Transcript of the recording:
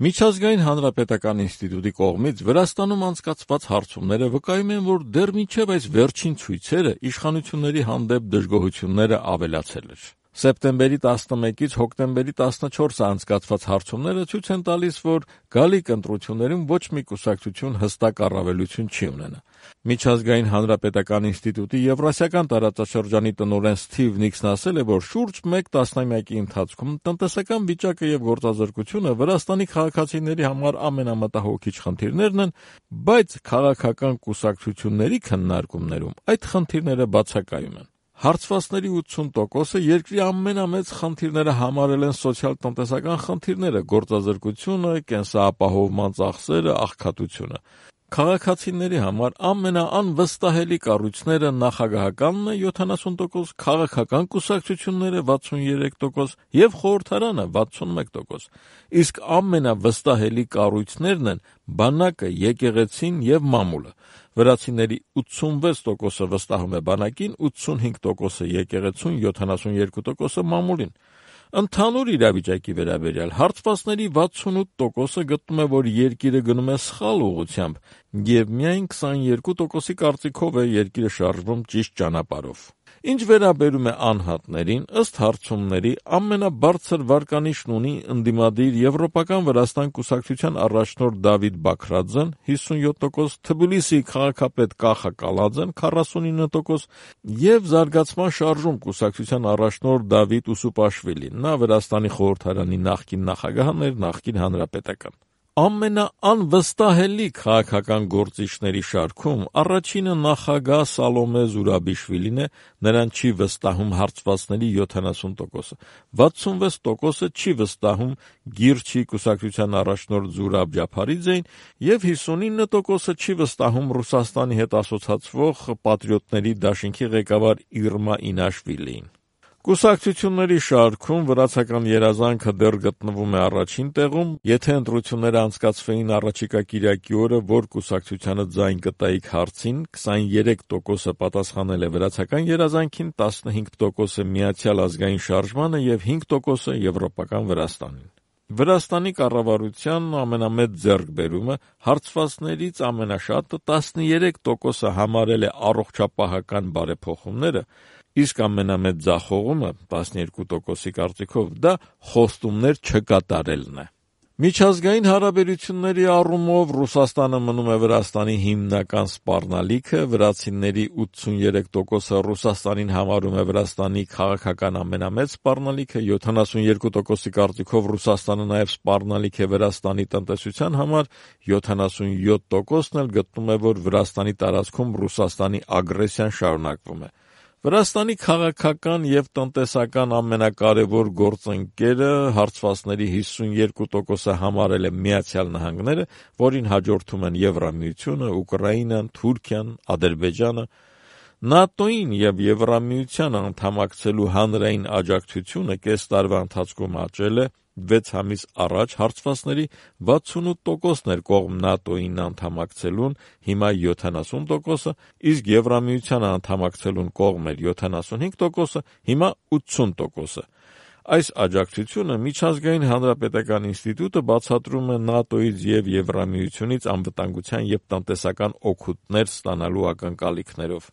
Միջազգային հանրապետական ինստիտուտի կողմից Վրաստանում անցկացված հարցումները վկայում են, որ դեռ մինչև այս վերջին ցույցերը իշխանությունների հանդեպ դժգոհությունները ավելացել էր։ Սեպտեմբերի 11-ից հոկտեմբերի 14-ը անցկացված հարցումները ցույց են տալիս, որ գալիք ընտրություններում ոչ մի կուսակցություն հստակ առավելություն չի ունենա։ Միջազգային հանրապետական ինստիտուտի Եվրասիական տարածաշրջանի տնօրեն Սթիվ Նիքսն ասել է, որ շուրջ մեկ տասնամյակի ընթացքում տնտեսական վիճակը եւ գործազրկությունը Վրաստանի քաղաքացիների համար ամենամտահոգիչ խնդիրներն են, բայց քաղաքական կուսակցությունների քննարկումներում այդ խնդիրները բացակայում են։ Հարցվածների 80%-ը երկրի ամենամեծ խնդիրները համարել են սոցիալ-տնտեսական խնդիրները, գործազրկությունը, կենսապահովման ծախսերը, աղքատությունը։ Քաղաքացիների համար ամենաանվստահելի կառույցները նախագահականն է 70%, քաղաքական կուսակցությունները 63% եւ խորհրդարանը 61%, իսկ ամենավստահելի կառույցներն են բանակը, եկեղեցին եւ մամուլը։ Վրացիների 86%-ը վստահում է բանակին, 85%-ը եկեղեցուն, 72%-ը մամուլին։ Ընդհանուր իրավիճակի վերաբերյալ հարցվածների 68%-ը գտնում է, որ երկիրը գնում է սխալ ուղղությամբ, եւ միայն 22%-ի կարծիքով է երկիրը շարժվում ճիշտ ճանապարհով։ Ինչ վերաբերում է անհատներին, ըստ հարցումների ամենաբարձր վարկանիշն ունի ընդդիմադիր Եվրոպական Վրաստան կուսակցության առաջնորդ Դավիթ Բաքրաձեն 57%, Թբիլիսի քաղաքապետ Կախա Կալաձեն 49% եւ Զարգացման շարժում կուսակցության առաջնորդ Դավիթ Ուսուպաշվիլին։ Նա Վրաստանի խորհրդարանի նախկին նախագահն էր, նախկին հանրապետական։ Ամենաանվստահելի քաղաքական գործիչների շարքում առաջինը նախագահ Սալոմե Զուրաբիշվիլին է, նրան չի վստահում հարցվածների 70%-ը, 66%-ը չի վստահում Գիրչի կուսակցության առաջնորդ Զուրաբ Ջափարիձեին եւ 59%-ը չի վստահում Ռուսաստանի հետ ասոցացվող պատրիոտների դաշինքի ղեկավար Իրմա Ինաշվիլիին։ Կուսակցությունների շարքում վրացական երազանքը դեռ գտնվում է առաջին տեղում։ Եթե ընտրությունները անցկացվեին առաջիկա կիրակի օրը, որ կուսակցությանը ձայն կտայիք հարցին, 23%-ը պատասխանել է վրացական երազանքին, 15%-ը Միացյալ ազգային շարժմանը եւ 5%-ը Եվրոպական Վրաստանին։ Վրաստանի կառավարության ամենամեծ ձեռքբերումը հարցվածներից ամենաշատը 13%-ը համարել է առողջապահական բարեփոխումները, իսկ ամենամեծ ձախողումը 12%-ի կարծիքով դա խոստումներ չկատարելն է։ Միջազգային հարաբերությունների առումով Ռուսաստանը մնում է Վրաստանի հիմնական սպառնալիքը, վրացիների 83%-ը Ռուսաստանին համարում է Վրաստանի քաղաքական ամենամեծ սպառնալիքը, 72%-ի կարծիքով Ռուսաստանը նաև սպառնալիք է Վրաստանի տնտեսության համար, 77%-ն էլ գտնում է, որ Վրաստանի տարածքում Ռուսաստանի ագրեսիան շարունակվում է։ Վրաստանի քաղաքական եւ տնտեսական ամենակարևոր գործընկերը հարցվածների 52%-ը համարել է Միացյալ Նահանգները, որին հաջորդում են Եվրամիությունը, Ուկրաինան, Թուրքիան, Ադրբեջանը։ ՆԱՏՕ-ին եւ Եվրամիությանը անդամակցելու հանրային աջակցությունը կես տարվա ընթացքում աճել է, 6 ամիս առաջ հարցվածների 68%-ն էր կողմ ՆԱՏՕ-ին անդամակցելուն, հիմա 70%-ը, իսկ Եվրամիությանը անդամակցելուն կողմ էր 75%-ը, հիմա 80%-ը։ Այս աջակցությունը Միջազգային հանրապետական ինստիտուտը բացատրում է ՆԱՏՕ-ից եւ Եվրամիությունից անվտանգության եւ տնտեսական օգուտներ ստանալու ակնկալիքներով։